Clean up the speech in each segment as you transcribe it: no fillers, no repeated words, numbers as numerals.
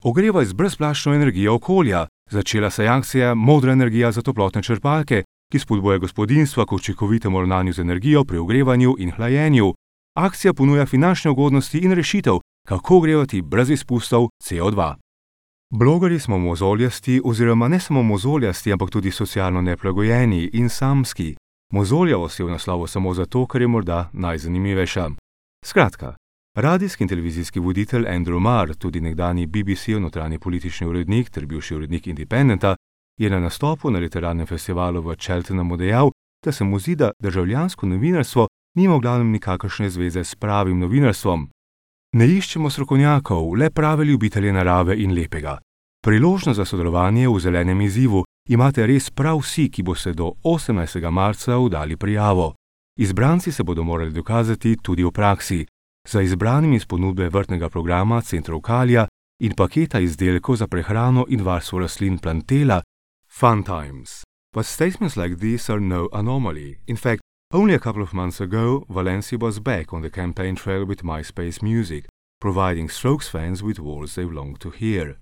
ogrevaj z brezplačno energijo okolja. Začela se je akcija Modra energija za toplotne črpalke, ki spodbuja gospodinjstva k učinkovitemu ravnanju z energijo pri ogrevanju in hlajenju. Akcija ponuja finančne ugodnosti in rešitev, kako ogrevati brez izpustov CO2. Blogerji smo mozoljasti oziroma ne samo mozoljasti, ampak tudi socialno neprilagojeni in samski. Mozoljavost je v naslovu samo zato, ker je morda najzanimivejša. Skratka, radijski in televizijski voditelj Andrew Marr, tudi nekdanji BBC-ov notranji politični urednik ter bivši urednik Independenta, je na nastopu na literarnem festivalu v Cheltenhamu dejal, da se mu zdi, da državljansko novinarstvo nima v glavnem nikakršne zveze s pravim novinarstvom. Ne iščemo strokovnjakov, le prave ljubitelje narave in lepega. Priložnost za sodelovanje v zelenem izzivu imate res prav vsi, ki boste do 18. marca oddali prijavo. Izbranci se bodo morali dokazati tudi v praksi. Za izbranimi iz ponudbe vrtnega programa Centrov Kalja in paketa izdelkov za prehrano in varstvo rastlin Plantela, Fun Times. But statements like these are no anomaly. In fact, only a couple of months ago, Valencia was back on the campaign trail with MySpace Music, providing Strokes fans with words they long to hear.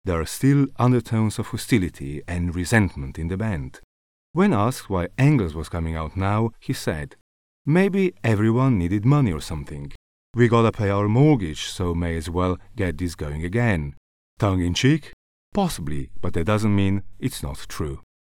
There are still undertones of hostility and resentment in the band. When asked why Angles was coming out now, he said, "Maybe everyone needed money or something. We gotta pay our mortgage, so may as well get this going again." Tongue in cheek? Possibly, but that doesn't mean it's not true.